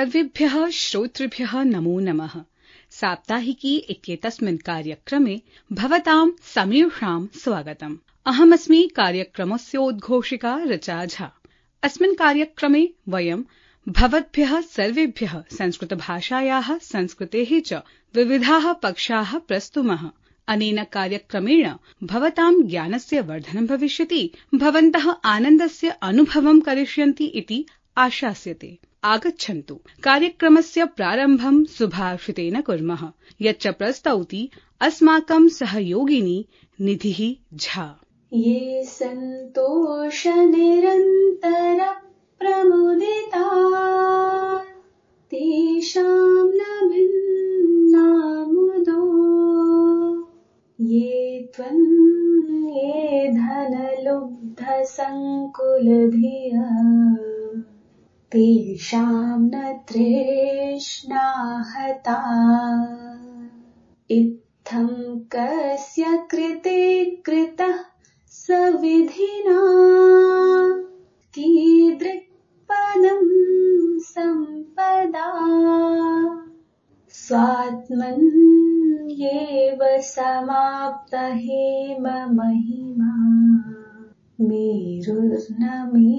सर्वेभ्यः श्रोतृभ्यः नमो नमः। साप्ताहिकी इत्येतस्मिन् कार्यक्रमे भवतां समेषां स्वागतम्। अहमस्मि कार्यक्रमस्योद्घोषिका ऋचा झा। अस्मिन् कार्यक्रमे वयं भवद्भ्यः सर्वेभ्यः संस्कृतभाषायाः संस्कृतेः च विविधाः पक्षाः प्रस्तुमः। अनेन कार्यक्रमेण भवतां ज्ञानस्य वर्धनं भविष्यति, भवन्तः आनन्दस्य अनुभवं करिष्यन्ति इति आशास्यते। आगच्छन्तु कार्यक्रमस्य प्रारम्भं सुभाषितेन कुर्मः, यच्च प्रस्तौति अस्माकं सहयोगिनी निधिः झा। ये सन्तोषनिरन्तर प्रमुदिता तेषां न भिन्नामुदो, ये त्वन्ये धनलुब्धसङ्कुलधिया तेषां न तृष्णा हता। इत्थं कस्य कृते कृतः सविधिना कीदृक्पदं सम्पदा। स्वात्मन्येव समाप्त हेम महिमा मेरुर्न मे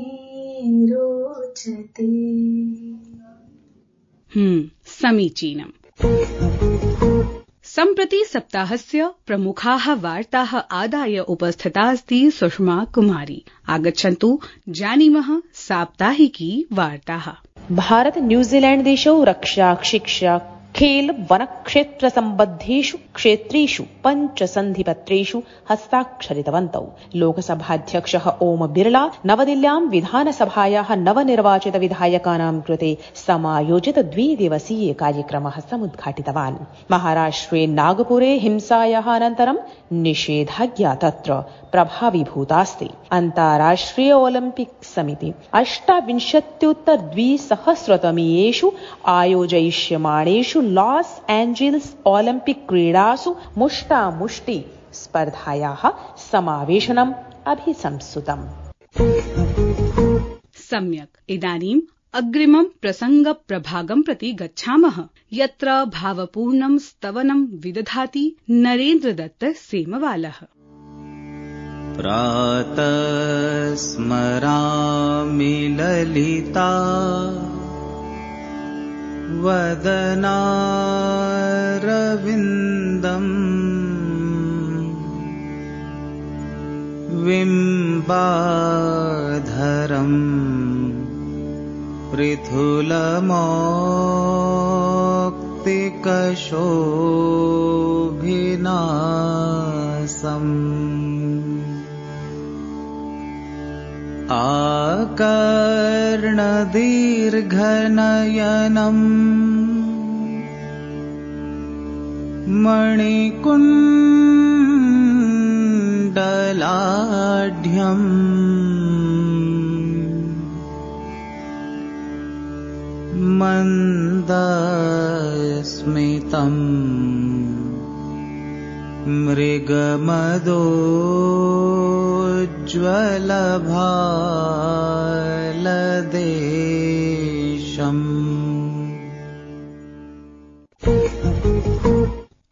रोचते। समीचीनम्। सम्प्रति सप्ताहस्य प्रमुखाः वार्ताः आदाय उपस्थिता अस्ति सुषमा कुमारी। आगच्छन्तु जानीमः साप्ताहिकी वार्ताः। भारत न्यूजीलैंड देशौ रक्षा शिक्षा खेल वन क्षेत्र सम्बद्धेषु क्षेत्रेषु पञ्चसन्धिपत्रेषु हस्ताक्षरितवन्तौ। लोकसभाध्यक्षः ओम बिरला नवदिल्ल्यां विधानसभायाः नवनिर्वाचित विधायकानां कृते समायोजित 2 दिवसीय कार्यक्रमः समुद्घाटितवान्। महाराष्ट्रे नागपुरे हिंसायाः अनन्तरं निषेधाज्ञा तत्र प्रभावीभूतास्ति। अन्ताराष्ट्रिय ओलिम्पिक समिति 28-2000तमीयेषु आयोजयिष्यमाणेषु लॉस एंजेल्स ओलिम्पिक क्रीडासु मुष्टामुष्टि स्पर्धायाः समावेशनम् अभिसंस्तुतम्। सम्यक्। इदानीम् अग्रिमं प्रसङ्गप्रभागं प्रति गच्छामः, यत्र भावपूर्णं स्तवनं विदधाति नरेन्द्रदत्त सेमवालः। प्रातः स्मरामि ललिता वदनारविन्दम्, बिम्बाधरम् पृथुलमौक्तिकशोभिनासम्, आकर्णदीर्घनयनम् मणिकुण्डलाढ्यम्, मन्दस्मितम् मृगमदोज्ज्वलभालदेशम्।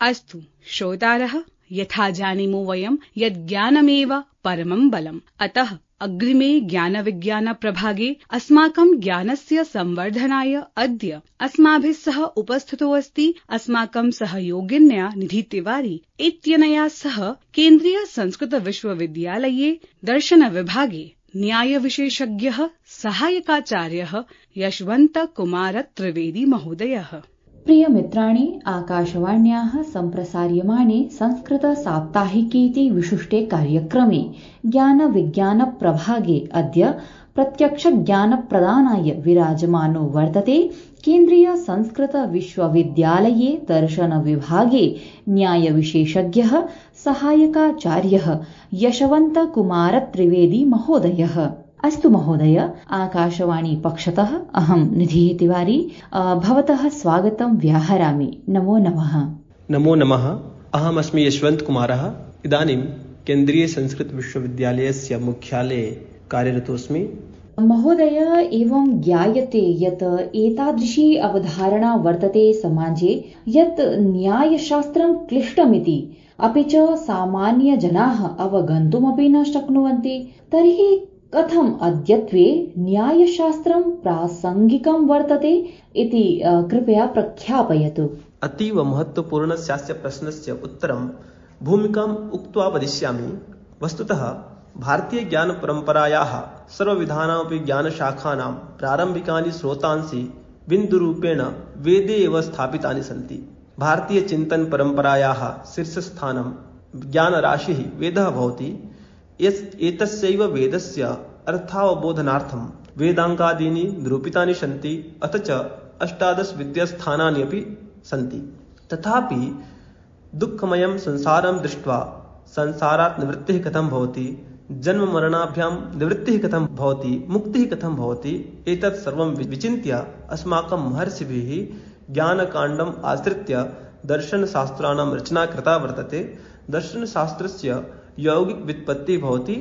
अस्तु श्रोतारः, यथा जानीमो वयं यत् ज्ञानमेव परमं बलम्। अतः अग्रिमे ज्ञानविज्ञानप्रभागे अस्माकं ज्ञानस्य संवर्धनाय अद्य अस्माभिः सह उपस्थितो अस्ति अस्माकं सहयोगिन्या निधि तिवारी इत्यनया सह केन्द्रीय संस्कृत विश्वविद्यालये दर्शनविभागे न्यायविशेषज्ञः सहायकाचार्यः यशवन्त कुमार त्रिवेदी महोदयः। प्रिय मित्राणि, आकाशवाण्याः सम्प्रसार्यमाणे संस्कृत साप्ताहिकीति विशिष्टे कार्यक्रमे ज्ञानविज्ञानप्रभागे अद्य प्रत्यक्ष ज्ञानप्रदानाय विराजमानो वर्तते केन्द्रीय संस्कृत विश्वविद्यालये दर्शनविभागे न्यायविशेषज्ञः सहायकाचार्यः यशवन्त कुमार त्रिवेदी महोदयः। अस्तु महोदय, आकाशवाणी पक्षतः अहं निधिः तिवारी भवतः स्वागतं व्याहरामि। नमो नमः। नमो नमः। अहमस्मि यशवन्त कुमारः। इदानीं केन्द्रीय संस्कृत विश्वविद्यालयस्य मुख्यालये कार्यरतोऽस्मि। महोदय, एवं ज्ञायते यत् एतादृशी अवधारणा वर्तते समाजे यत् न्यायशास्त्रं क्लिष्टमिति, अपि च सामान्यजनाः अवगन्तुमपि न शक्नुवन्ति। तर्हि कथम् अद्यत्वे न्यायशास्त्रं प्रासङ्गिकं वर्तते इति कृपया प्रख्यापयतु। अतीव महत्वपूर्णस्य प्रश्नस्य उत्तरं भूमिकाम् उक्त्वा वदिष्यामि। वस्तुतः भारतीय ज्ञान परम्परायाः सर्वविधानामपि ज्ञानशाखानां प्रारम्भिकानि स्रोतांसि बिन्दुरूपेण वेदे एव स्थापितानि सन्ति। भारतीय चिन्तन परम्परायाः शीर्षस्थानं ज्ञानराशिः वेदः भवति। एतस्यैव वेदस्य अर्थावबोधनार्थं वेदाङ्गादीनि निरूपितानि सन्ति, अथ च 18 विद्यास्थानानि अपि सन्ति। तथापि दुःखमयं संसारं दृष्ट्वा संसारात् निवृत्तिः कथं भवति, जन्ममरणाभ्यां निवृत्तिः कथं भवति, मुक्तिः कथं भवति, एतत् सर्वं विचिन्त्य अस्माकं महर्षिभिः ज्ञानकाण्डम् आश्रित्य दर्शनशास्त्राणां रचना कृता वर्तते। दर्शनशास्त्रस्य यौगिकव्युत्पत्तिः भवति।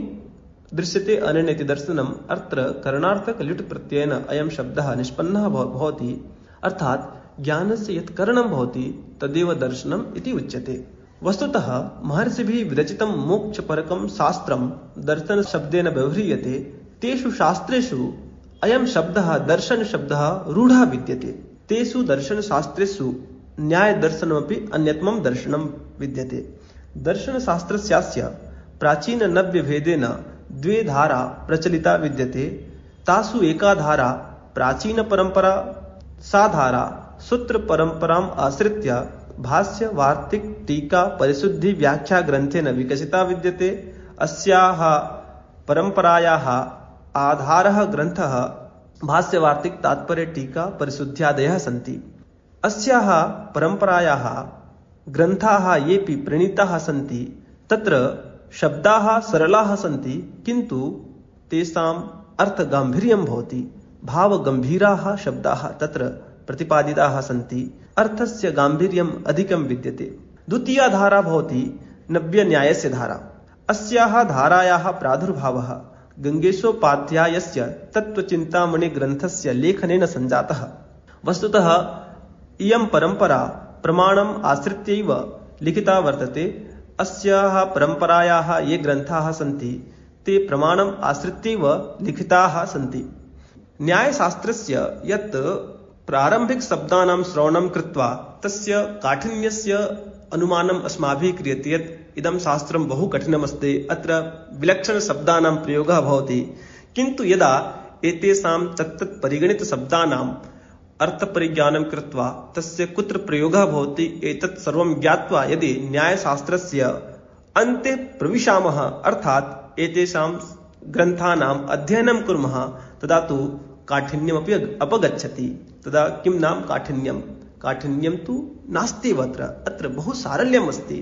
दृश्यते अनेनेति दर्शनम्। अत्र करणार्थकल्युट् प्रत्ययेन अयं शब्दः निष्पन्नः भवति, अर्थात् ज्ञानस्य यत् करणं भवति तदेव दर्शनम् इति उच्यते। वस्तुतः महर्षिभिः विरचितं मोक्षपरकं शास्त्रं दर्शनशब्देन व्यवह्रियते। तेषु शास्त्रेषु अयं शब्दः दर्शनशब्दः रूढः विद्यते। तेषु दर्शनशास्त्रेषु न्यायदर्शनमपि अन्यतमं दर्शनं विद्यते। दर्शनशास्त्रस्य प्राचीननव्यभेदेन 2 धारा प्रचलिता विद्यते। तासु एका धारा प्राचीनपरम्परा, सा धारा सूत्रपरम्पराम् आश्रित्य भाष्य, वार्तिक, टीका, परिशुद्धि, व्याख्या ग्रन्थेन विकसिता विद्यते। अस्याः परम्परायाः आधारः ग्रन्थः भाष्य, वार्तिक, तात्पर्य, टीका, परिशुद्ध्यादयः सन्ति। अस्याः परम्परायाः ग्रन्थाः येऽपि प्रणीताः सन्ति तत्र शब्दाः सरलाः सन्ति, किन्तु तेषाम् अर्थगाम्भीर्यं भवति। भावगम्भीराः शब्दाः तत्र प्रतिपादिताः सन्ति। अर्थस्य गाम्भीर्यम् अधिकं विद्यते। द्वितीया धारा भवति नव्यन्यायस्य धारा। अस्याः धारायाः प्रादुर्भावः गङ्गेशोपाध्यायस्य तत्त्वचिन्तामणिग्रन्थस्य लेखनेन सञ्जातः। वस्तुतः इयं परम्परा प्रमाणम् आश्रित्यैव लिखिता वर्तते। अस्याः परम्परायाः ये ग्रन्थाः सन्ति ते प्रमाणम् आश्रित्यैव लिखिताः सन्ति। न्यायशास्त्रस्य यत् प्रारम्भिकशब्दानां श्रवणं कृत्वा तस्य काठिन्यस्य अनुमानम् अस्माभिः क्रियते यत् इदं शास्त्रं बहु कठिनमस्ति, अत्र विलक्षणशब्दानां प्रयोगः भवति। किन्तु यदा एतेषां तत्तत् परिगणितशब्दानाम् अर्थपरिज्ञानं कृत्वा तस्य कुत्र प्रयोगः भवति एतत् सर्वं ज्ञात्वा यदि न्यायशास्त्रस्य अन्ते प्रविशामः, अर्थात् एतेषां ग्रन्थानाम् अध्ययनं कुर्मः, तदा तु काठिन्यमपि अपगच्छति। तदा किं नाम काठिन्यं? काठिन्यं तु नास्ति अत्र बहु सारल्यम् अस्ति।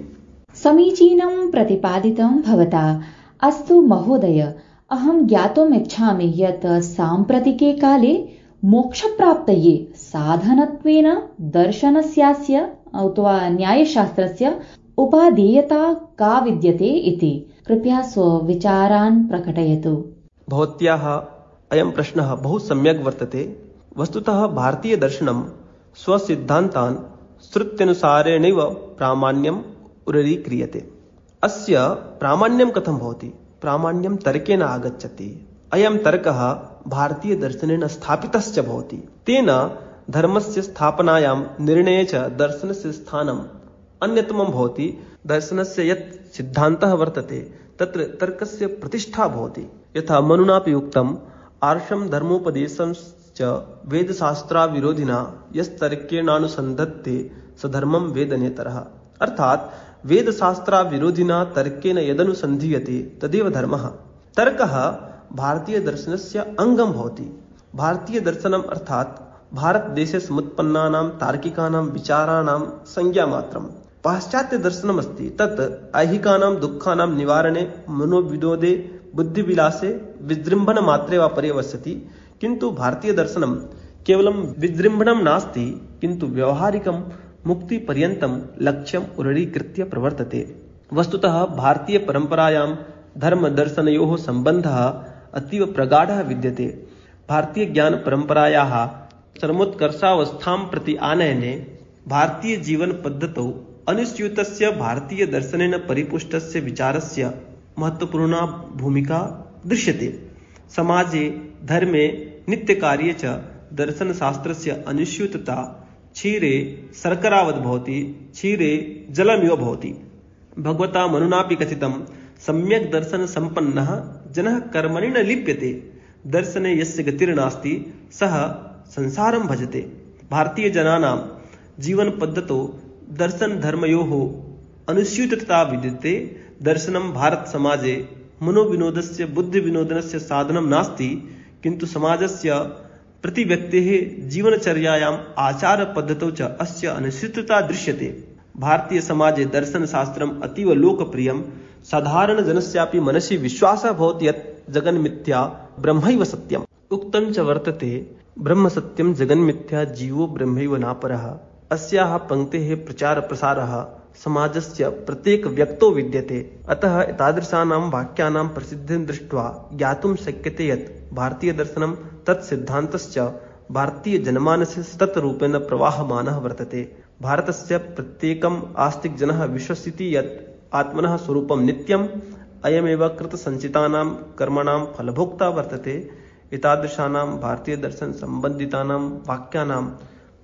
समीचीनं प्रतिपादितं भवता। अस्तु महोदय, अहं ज्ञातुम् इच्छामि यत् साम्प्रतिके काले मोक्षप्राप्तये साधनत्वेन दर्शनस्यास्य अथवा न्यायशास्त्रस्य उपादेयता का विद्यते इति कृपया स्वविचारान् प्रकटयतु। भवत्याः अयं प्रश्नः बहु सम्यक् वर्तते। वस्तुतः भारतीयदर्शनं स्वसिद्धान्तान् श्रुत्यनुसारेणैव प्रामाण्यम् उररीक्रियते। अस्य प्रामाण्यं कथं भवति? प्रामाण्यं तर्केण आगच्छति। अयं तर्कः भारतीयदर्शनेन स्थापितश्च भवति। तेन धर्मस्य स्थापनायां निर्णये च दर्शनस्य स्थानम् अन्यतमं भवति। दर्शनस्य यत् सिद्धान्तः वर्तते तत्र तर्कस्य प्रतिष्ठा भवति। यथा मनुनापि उक्तम्, आर्षं धर्मोपदेशंश्च वेदशास्त्राविरोधिना यस्तर्केणानुसन्धत्ते स धर्मं वेदनेतरः। अर्थात् वेदशास्त्राविरोधिना तर्केण यदनुसन्धीयते तदेव धर्मः। तर्कः भारतीयदर्शनस्य अङ्गं भवति। भारतीयदर्शनम् अर्थात् भारतदेशे समुत्पन्नानां तार्किकानां विचाराणां संज्ञामात्रम्। पाश्चात्यदर्शनमस्ति तत् ऐहिकानां दुःखानां निवारणे, मनोविनोदे, बुद्धिविलासे, विजृम्भणमात्रे वा पर्यवस्यति। किन्तु भारतीयदर्शनं केवलं विजृम्भणं नास्ति, किन्तु व्यावहारिकं मुक्तिपर्यन्तं लक्ष्यम् उररीकृत्य प्रवर्तते। वस्तुतः भारतीयपरम्परायां धर्मदर्शनयोः सम्बन्धः अतीव प्रगाढः विद्यते। भारतीय ज्ञान परम्परायाः चरमोत्कर्षावस्थां प्रति आनयने भारतीय जीवन पद्धतौ अनुस्यूतस्य भारतीय दर्शनेन परिपुष्टस्य विचारस्य महत्वपूर्णा भूमिका दृश्यते। समाजे धर्मे नित्यकार्ये च दर्शनशास्त्रस्य अनुस्यूतता क्षीरे शर्करावत् भवति, क्षीरे जलमिव भवति। भगवता मनुनापि कथितं सम्यक् दर्शन सम्पन्नः जनः कर्मणि न लिप्यते, दर्शने यस्य गतिर्नास्ति सः संसारं भजते। भारतीय जनानां जीवन पद्धतौ दर्शन धर्मयोः अनुस्यूतता विद्यते। दर्शनं भारत समाजे मनोविनोदस्य बुद्धिविनोदनस्य साधनं नास्ति, किन्तु समाजस्य प्रति व्यक्तेः जीवनचर्यायाम् आचारपद्धतौ च अस्य अनुस्यूतता दृश्यते। भारतीय समाजे दर्शनशास्त्रम् अतीव लोकप्रियं। साधारणजनस्यापि मनसि विश्वासः भवति यत् जगन्मिथ्या ब्रह्मैव सत्यम्। उक्तं च वर्तते ब्रह्म सत्यं जगन्मिथ्या जीवो ब्रह्मैव नापरः। अस्याः पङ्क्तेः प्रचारप्रसारः समाजस्य प्रत्येक व्यक्तौ विद्यते। अतः एतादृशानां वाक्यानां प्रसिद्धिं दृष्ट्वा ज्ञातुं शक्यते यत् भारतीयदर्शनं तत्सिद्धान्तश्च भारतीयजनमानसे सततरूपेण प्रवाहमानः वर्तते। भारतस्य प्रत्येकम् आस्तिकजनः विश्वसिति यत् आत्मनः स्वरूपं नित्यम्, अयमेव कृतसञ्चितानां कर्मणां फलभोक्ता वर्तते। एतादृशानां भारतीयदर्शनसम्बन्धितानां वाक्यानां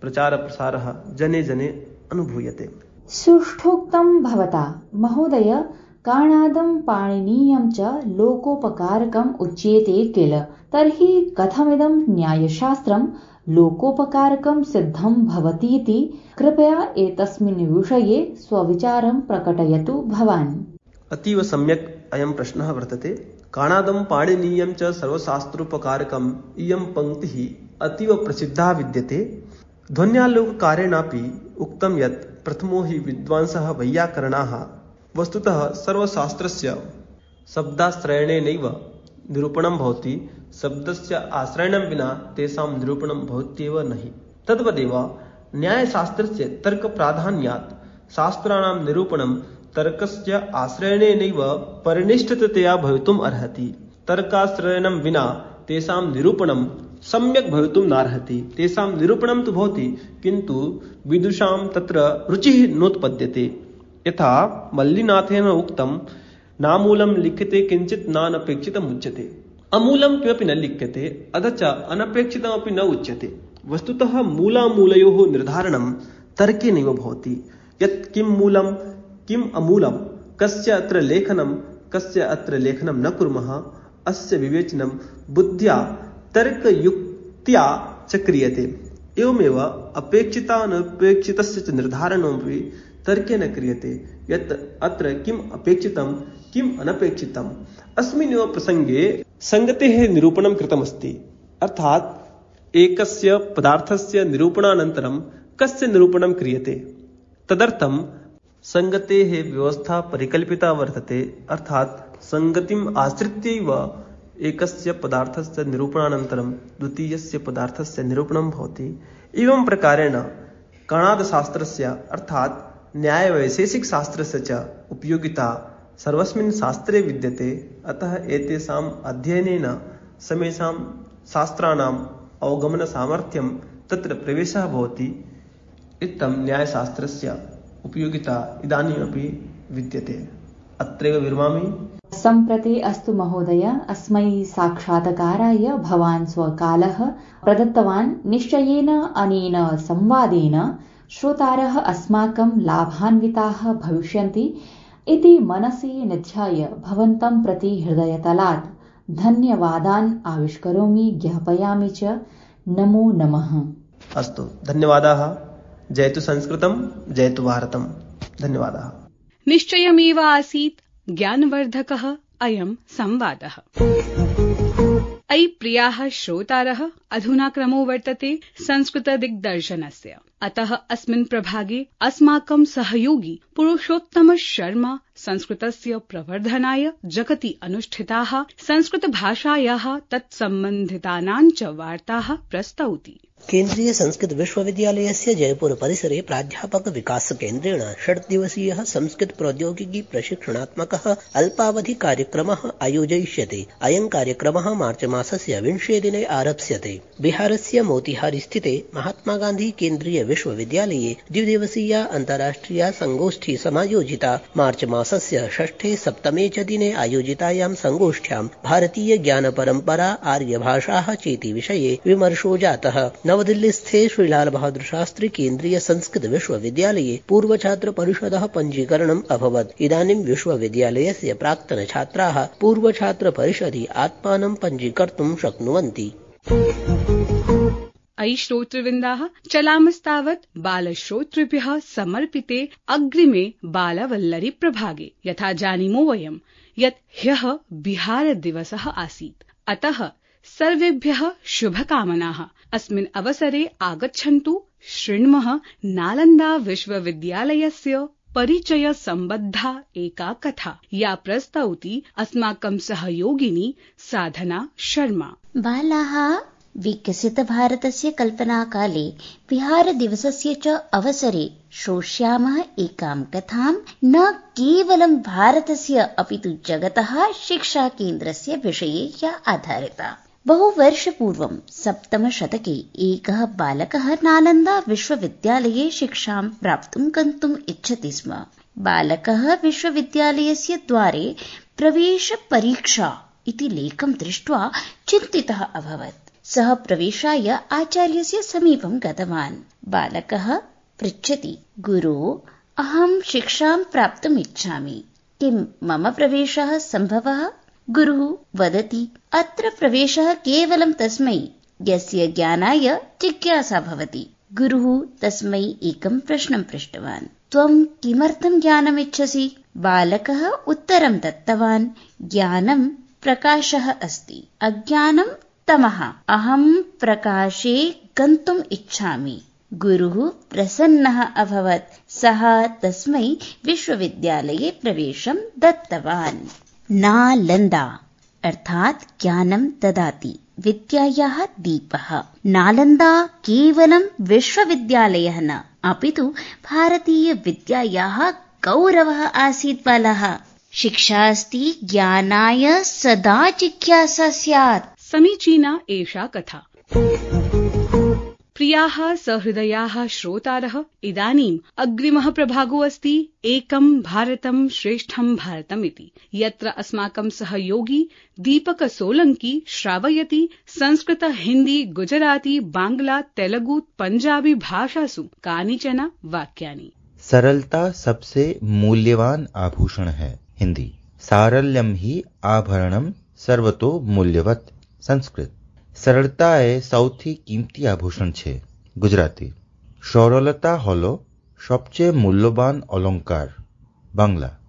प्रचारप्रसारः जने जने अनुभूयते। सुष्ठोक्तं भवता महोदय। कारणादं पाणिनीयं च लोकोपकारकम् उच्यते किल, तर्हि कथमिदं न्यायशास्त्रं लोकोपकारकं सिद्धं भवतीति कृपया एतस्मिन् विषये स्वविचारं प्रकटयतु भवान्। अतीव सम्यक् अयं प्रश्नः वर्तते। कारणादं पाणिनीयं च सर्वशास्त्रोपकारकम् इयं पङ्क्तिः अतीव प्रसिद्धा विद्यते। ध्वन्यालोककारेणापि उक्तं यत् प्रथमो हि विद्वांसः वैयाकरणाः। वस्तुतः सर्वशास्त्रस्य शब्दाश्रयणेनैव निरूपणं भवति, शब्दस्य आश्रयणं विना तेषां निरूपणं भवत्येव नहि। तद्वदेव न्यायशास्त्रस्य तर्कप्राधान्यात् शास्त्राणां निरूपणं तर्कस्य आश्रयणेनैव परिनिष्ठिततया भवितुम् अर्हति। तर्काश्रयणं विना तेषां निरूपणं सम्यक् भवितुं नार्हति। तेषां निरूपणं तु भवति, किन्तु विदुषां तत्र रुचिः नोत्पद्यते। यथा मल्लिनाथेन उक्तं, नामूलं लिख्यते किञ्चित् नानपेक्षितम् उच्यते। अमूलं किमपि न लिख्यते, अथ च अनपेक्षितमपि न उच्यते। वस्तुतः मूलामूलयोः निर्धारणं तर्केनैव भवति। यत् किं मूलं किम् अमूलं, कस्य अत्र लेखनं कस्य अत्र लेखनं न कुर्मः, अस्य विवेचनं बुद्ध्या तर्कयुक्त्या च क्रियते। एवमेव अपेक्षितानपेक्षितस्य च निर्धारणमपि तर्केण क्रियते। यत् अत्र किम् अपेक्षितं किम् अनपेक्षितम्, अस्मिन्नेव प्रसङ्गे संगतेः निरूपणं कृतमस्ति। अर्थात् एकस्य पदार्थस्य निरूपणानन्तरं कस्य निरूपणं क्रियते, तदर्थं संगतेः व्यवस्था परिकल्पिता वर्तते। अर्थात् संगतिम् आश्रित्यैव एकस्य पदार्थस्य निरूपणानन्तरं द्वितीयस्य पदार्थस्य निरूपणं भवति। एवं प्रकारेण कणादशास्त्रस्य अर्थात् न्यायवैशेषिकशास्त्रस्य च उपयोगिता सर्वस्मिन् शास्त्रे विद्यते। अतः एतेषाम् अध्ययनेन समेषां शास्त्राणाम् अवगमनसामर्थ्यं तत्र प्रवेशः भवति। इत्थं न्यायशास्त्रस्य उपयोगिता इदानीमपि विद्यते। अत्रैव विरमामि। सम्प्रति अस्तु महोदय, अस्मै साक्षात्काराय भवान् स्वकालः प्रदत्तवान्। निश्चयेन अनेन संवादेन श्रोतारः अस्माकं लाभान्विताः भविष्यन्ति इति मनसि निध्याय भवन्तं प्रति हृदयतलात् धन्यवादान् आविष्करोमि, ज्ञापयामि च। नमो नमः। अस्तु, धन्यवादाः। जयतु संस्कृतं, जयतु भारतम्। धन्यवादाः। निश्चयमेव आसीत् ज्ञानवर्धकः अयं संवादः। अयि प्रियाः श्रोतारः, अधुना क्रमो वर्तते संस्कृतदिग्दर्शनस्य। अतः अस्मिन् प्रभागे अस्माकं सहयोगी पुरुषोत्तम शर्मा संस्कृतस्य प्रवर्धनाय जगति अनुष्ठिताः संस्कृतभाषायाः तत्सम्बन्धितानां च वार्ताः प्रस्तौति। केन्द्रीय संस्कृत विश्वविद्यालयस्य जयपुर परिसरे प्राध्यापक विकास केन्द्रेण 6 दिवसीयः संस्कृत प्रौद्योगिकी प्रशिक्षणात्मकः अल्पावधि कार्यक्रमः आयोजयिष्यते। अयं कार्यक्रमः मार्च मासस्य 20 दिने आरप्स्यते। बिहारस्य मोतिहारी स्थिते महात्मा गान्धी केन्द्रीय विश्वविद्यालये 2 दिवसीया अन्ताराष्ट्रिया संगोष्ठी समायोजिता। मार्च मासस्य 6-7 च दिने आयोजितायां संगोष्ठ्यां भारतीय ज्ञान परम्परा आर्यभाषाः चेति विषये विमर्शो जातः। नवदिल्लीस्थे श्रीलाल बहादुर शास्त्री केन्द्रीय संस्कृत विश्वविद्यालये पूर्वछात्र परिषदः पञ्जीकरणम् अभवत्। इदानीं विश्वविद्यालयस्य प्राक्तन छात्राः पूर्वछात्र परिषदि आत्मानं पञ्जीकर्तुं शक्नुवन्ति। अयि श्रोतृवृन्दाः, चलामस्तावत् बालश्रोतृभ्यः समर्पिते अग्रिमे बालवल्लरी प्रभागे। यथा जानीमो वयं यत् ह्यः बिहार दिवसः आसीत्, अतः सर्वेभ्यः शुभकामनाः। अस्मिन् अवसरे आगच्छन्तु शृण्मः नालन्दा विश्वविद्यालयस्य परिचय सम्बद्धा एका कथा, या प्रस्तौति अस्माकं सहयोगिनी साधना शर्मा। बालाः विकसितभारतस्य कल्पनाकाले बिहारदिवसस्य च अवसरे श्रोष्यामः एकां कथां, न केवलं भारतस्य अपितु जगतः शिक्षाकेन्द्रस्य विषये या आधारिता। बहुवर्षपूर्वं 7म शतके एकः बालकः नालन्दा विश्वविद्यालये शिक्षां प्राप्तुं गन्तुम् इच्छति स्म। बालकः विश्वविद्यालयस्य द्वारे प्रवेशपरीक्षा इति लेखं दृष्ट्वा चिन्तितः अभवत्। सः प्रवेशाय आचार्यस्य समीपं गतवान्। बालकः पृच्छति, गुरो, अहं शिक्षां प्राप्तुम् इच्छामि, किं मम प्रवेशः सम्भवः? गुरुः वदति, अत्र प्रवेशः केवलं तस्मै यस्य ज्ञानाय जिज्ञासा भवति। गुरुः तस्मै एकं प्रश्नं पृष्टवान्, त्वं किमर्थं ज्ञानमिच्छसि? बालकः उत्तरं दत्तवान्, ज्ञानं प्रकाशः अस्ति, अज्ञानं तमः, अहं प्रकाशे गन्तुम् इच्छामि। गुरुः प्रसन्नः अभवत्। सः तस्मै विश्वविद्यालये प्रवेशं दत्तवान्। नालन्दा अर्थात् ज्ञानं ददाति, विद्यायाः दीपः। नालन्दा केवलं विश्वविद्यालयः न, अपितु भारतीयविद्यायाः गौरवः आसीत्। बालः, शिक्षा अस्ति ज्ञानाय सदा जिज्ञासा स्यात्। समीचीना एषा कथा। प्रियाः सहृदयाः श्रोतारः, इदानीम् अग्रिमः प्रभागो अस्ति एकं भारतं श्रेष्ठं भारतम् इति, यत्र अस्माकं सहयोगी दीपक सोलंकी श्रावयति संस्कृत, हिंदी, गुजराती, बांग्ला, तेलुगु, पंजाबी भाषासु कानिचन वाक्यानि। सरलता सबसे मूल्यवान आभूषण है। हिंदी। सारल्यम ही आभरणम सर्वतो मूल्यवत। संस्कृत। સરળતા એ સૌથી કિંમતી આભૂષણ છે. ગુજરાતી. સરળતા હોલો સબચે મૂલ્યવાન અલંકાર. બાંગ્લા.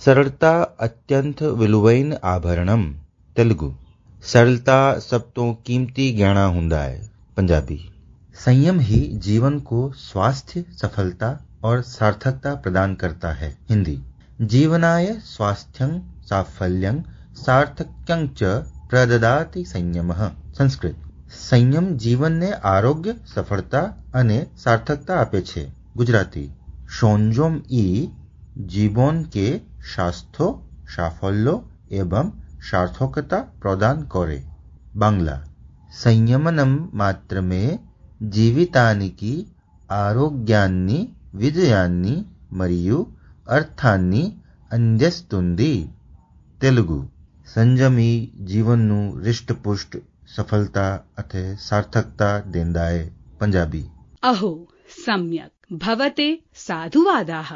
સરળતા અત્યંત વિલુવૈન આભરણમ. તેલુગુ. સરળતા સબ તો कीमती गहना हुंदा है. पंजाबी. संयम ही जीवन को स्वास्थ्य, सफलता और सार्थकता प्रदान करता है. हिंदी. जीवनाय स्वास्थ्यं साफल्यं सार्थक्यं च प्रददाति संयमः. संस्कृत. संयम जीवनने आरोग्य, सफलता અને સાર્થકતા આપે છે. ગુજરાતી. સંયમ ઈ જીવન કે સ્વાસ્થ્ય, સાફલ્ય એવં સાર્થકતા પ્રદાન કરે. બાંગ્લા. સંયમનમ માત્રમે జీవితానికి ఆరోగ్యాన్ని, విజయాన్ని మరియు అర్థాన్ని అందిస్తుంది. తెలుగు. સંયમી જીવનનું હૃષ્ટપુષ્ટ, સફળતા અને સાર્થકતા દેંदा है. पंजाबी. अहो सम्यक् भवते साधुवादाः।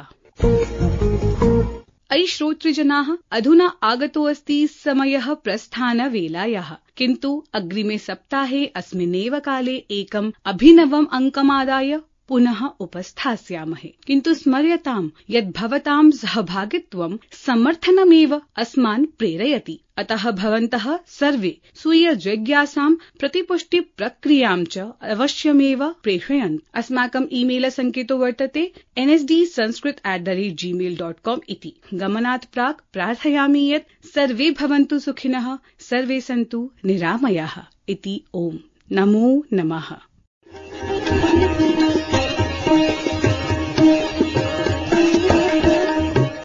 अयि श्रोतृजनाः, अधुना आगतो अस्ति समयः प्रस्थानवेलायाः, किन्तु अग्रिमे सप्ताहे अस्मिन्नेव काले एकम् अभिनवम् अङ्कमादाय पुनः उपस्थास्यामहे। किन्तु स्मर्यताम् यत् भवतां सहभागित्वं समर्थनमेव अस्मान् प्रेरयति। अतः भवन्तः सर्वे स्वीय जिज्ञासां प्रतिपुष्टि प्रक्रियां च अवश्यमेव प्रेषयन्तु। अस्माकम् ईमेल सङ्केतो वर्तते nsdsanskrit@gmail.com इति। गमनात् प्राक् प्रार्थयामि यत् सर्वे भवन्तु सुखिनः, सर्वे सन्तु निरामयाः इति। ओम् नमो नमः।